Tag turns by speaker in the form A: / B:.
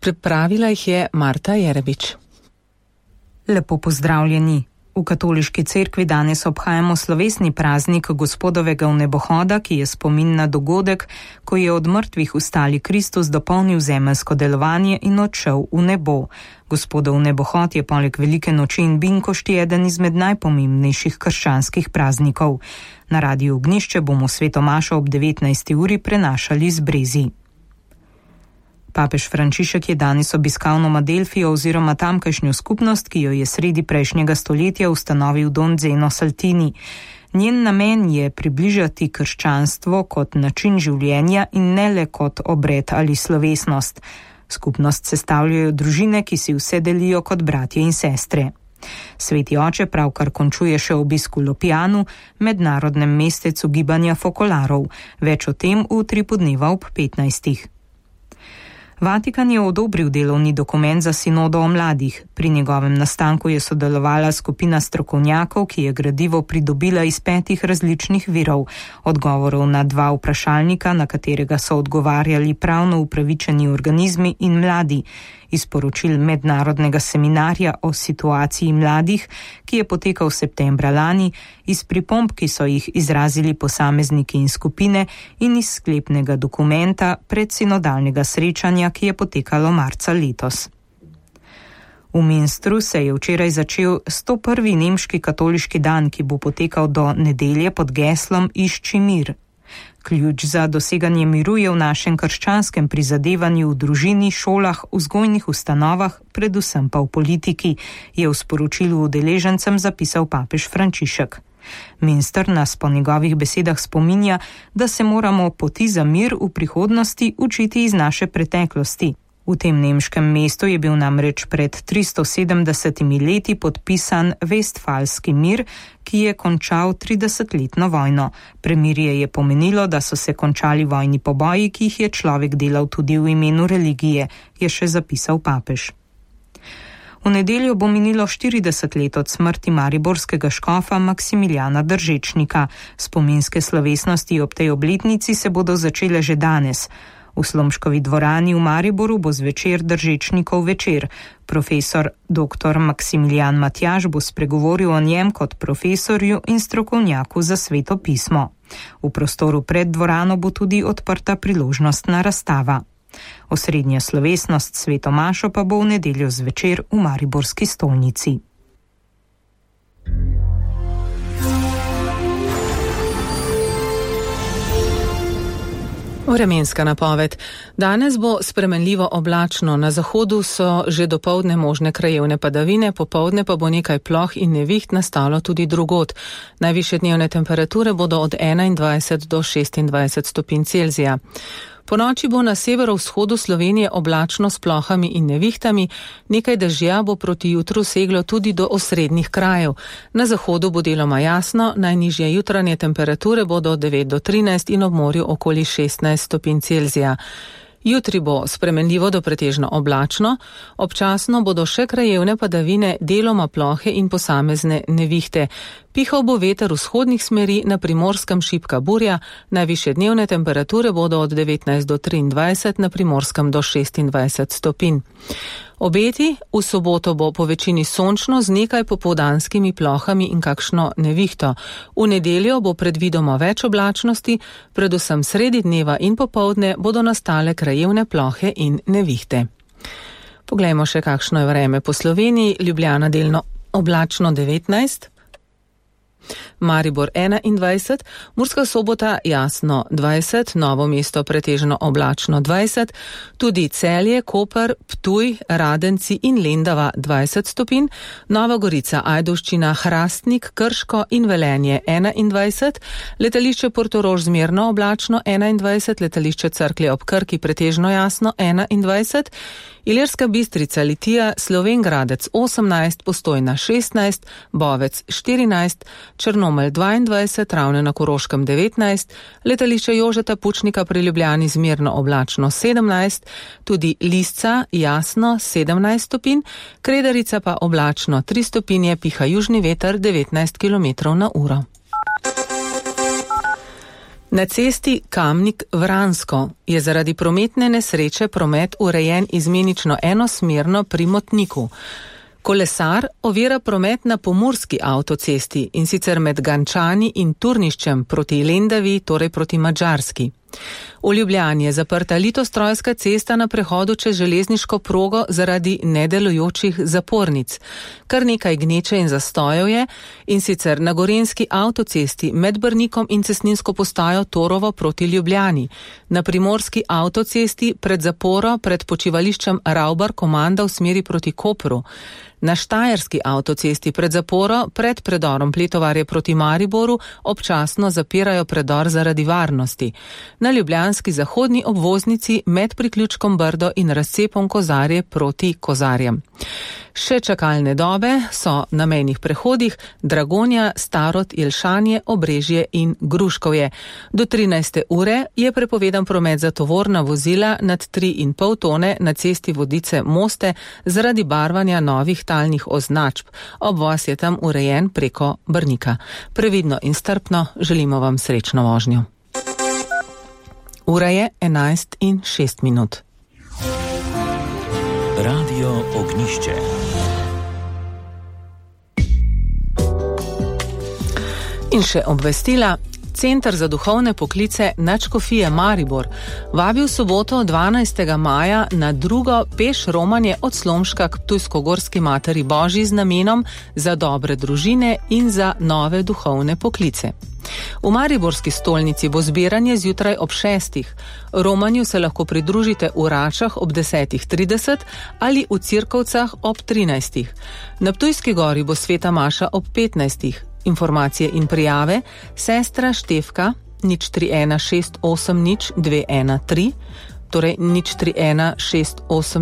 A: Pripravila jih je Marta Jerebič.
B: Lepo pozdravljeni. V katoliški cerkvi danes obhajamo slovesni praznik Gospodovega vnebohoda, ki je spomin na dogodek, ko je od mrtvih vstali Kristus dopolnil zemeljsko delovanje in odšel v nebo. Gospodov vnebohod je poleg velike noči in binkošti eden izmed najpomembnejših krščanskih praznikov. Na Radiu Ognjišče bomo sveto mašo ob 19. uri prenašali z Brezi. Papež Frančišek je danes obiskal Nomadelfijo oziroma tamkajšnjo skupnost, ki jo je sredi prejšnjega stoletja ustanovil Don Zeno Saltini. Njen namen je približati krščanstvo kot način življenja in ne le kot obred ali slovesnost. Skupnost sestavljajo družine, ki si vse delijo kot bratje in sestre. Sveti oče pravkar končuje še obisk v Lopjanu, mednarodnem mestecu gibanja fokolarov. Več o tem v 3 podneva ob 15. Vatikan je odobril delovni dokument za sinodo o mladih. Pri njegovem nastanku je sodelovala skupina strokovnjakov, ki je gradivo pridobila iz 5 različnih virov. Odgovorov na 2 vprašalnika, na katerega so odgovarjali pravno upravičeni organizmi in mladi. Iz poročil mednarodnega seminarja o situaciji mladih, ki je potekal septembra lani, iz pripomb, ki so jih izrazili posamezniki in skupine, in iz sklepnega dokumenta predsinodalnega srečanja, ki je potekalo marca letos. V Münstru se je včeraj začel 101. nemški katoliški dan, ki bo potekal do nedelje pod geslom Išči mir. Ključ za doseganje miru je v našem krščanskem prizadevanju v družini, šolah, vzgojnih ustanovah, predvsem pa v politiki, je v sporočilu udeležencem zapisal papež Frančišek. Münster nas po njegovih besedah spominja, da se moramo poti za mir v prihodnosti učiti iz naše preteklosti. V tem nemškem mestu je bil namreč pred 370 leti podpisan Vestfalski mir, ki je končal 30-letno vojno. Premirje je pomenilo, da so se končali vojni poboji, ki jih je človek delal tudi v imenu religije, je še zapisal papež. V nedeljo bo minilo 40 let od smrti mariborskega škofa Maksimiljana Držečnika. Spominske slovesnosti ob tej obletnici se bodo začele že danes. V Slomškovi dvorani v Mariboru bo zvečer Držečnikov večer. Profesor dr. Maksimilijan Matjaž bo spregovoril o njem kot profesorju in strokovnjaku za sveto pismo. V prostoru pred dvorano bo tudi odprta priložnostna razstava. Osrednja slovesnost sveto mašo pa bo v nedeljo zvečer v mariborski stolnici.
A: Vremenska napoved. Danes bo spremenljivo oblačno, na zahodu so že dopoldne možne krajevne padavine, popoldne pa bo nekaj ploh in neviht nastalo tudi drugod. Najvišje dnevne temperature bodo od 21 do 26 stopinj Celzija. Po noči bo na severovzhodu Slovenije oblačno s plohami in nevihtami, nekaj dežja bo proti jutru seglo tudi do osrednjih krajev. Na zahodu bo deloma jasno, najnižje jutranje temperature bodo od 9 do 13 in ob morju okoli 16 stopinj Celzija. Jutri bo spremenljivo do pretežno oblačno, občasno bodo še krajevne padavine, deloma plohe in posamezne nevihte. Pihal bo veter vzhodnih smeri, na Primorskem šibka burja, najvišje dnevne temperature bodo od 19 do 23, na Primorskem do 26 stopinj. Obeti, v soboto bo po večini sončno z nekaj popoldanskimi plohami in kakšno nevihto. V nedeljo bo predvidoma več oblačnosti, predvsem sredi dneva in popoldne bodo nastale krajevne plohe in nevihte. Poglejmo še, kakšno je vreme po Sloveniji. Ljubljana delno oblačno 19, Maribor 21, Murska Sobota jasno 20, Novo mesto pretežno oblačno 20, tudi Celje, Koper, Ptuj, Radenci in Lendava 20 stopinj, Nova Gorica, Ajdovščina, Hrastnik, Krško in Velenje 21, letališče Portorož zmerno oblačno 21, letališče Cerklje ob Krki pretežno jasno 21, Ilirska Bistrica, Litija, Slovenj Gradec 18, Postojna 16, Bovec 14, Črnomelj 22, Ravne na Koroškem 19, letališče Jožeta Pučnika pri Ljubljani zmerno oblačno 17, tudi Lisca jasno 17 stopinj, Kredarica pa oblačno 3 stopinje, piha južni veter 19 km/h. Na cesti Kamnik-Vransko je zaradi prometne nesreče promet urejen izmenično enosmerno pri Motniku. Kolesar ovira promet na pomurski avtocesti in sicer med Gančani in Turniščem proti Lendavi, torej proti Madžarski. V Ljubljani je zaprta Litostrojska cesta na prehodu čez železniško progo zaradi nedelujočih zapornic. Kar nekaj gneče in zastojev je, in sicer na gorenjski avtocesti med Brnikom in cestninsko postajo Torovo proti Ljubljani, na primorski avtocesti pred zaporo pred počivališčem Ravbar Komanda v smeri proti Kopru, na štajerski avtocesti pred zaporo pred predorom Pletovarje proti Mariboru občasno zapirajo predor zaradi varnosti. Na ljubljanski zahodni obvoznici med priključkom Brdo in razcepom Kozarje proti Kozarjem. Še čakalne dobe so na mejnih prehodih Dragonja, Starod, Jelšanje, Obrežje in Gruškovje. Do 13. ure je prepovedan promet za tovorna vozila nad 3,5 tone na cesti Vodice-Moste zaradi barvanja novih talnih označb. Obvoz je tam urejen preko Brnika. Previdno in strpno želimo vam srečno vožnjo. Ura je 11:06.
C: Radio Ognišče.
A: In še obvestila. Center za duhovne poklice Nadškofije Maribor vabi v soboto 12. maja na drugo peš romanje od Slomška k Ptujsko-Gorski Materi Božji z namenom za dobre družine in za nove duhovne poklice. V mariborski stolnici bo zbiranje zjutraj ob 6. Romanju se lahko pridružite v Račah ob 10:30 ali v Cirkovcah ob 13. Na Ptujski gori bo sveta maša ob 15. Informacije in prijave sestra Štefka 031 680 213, torej 031 680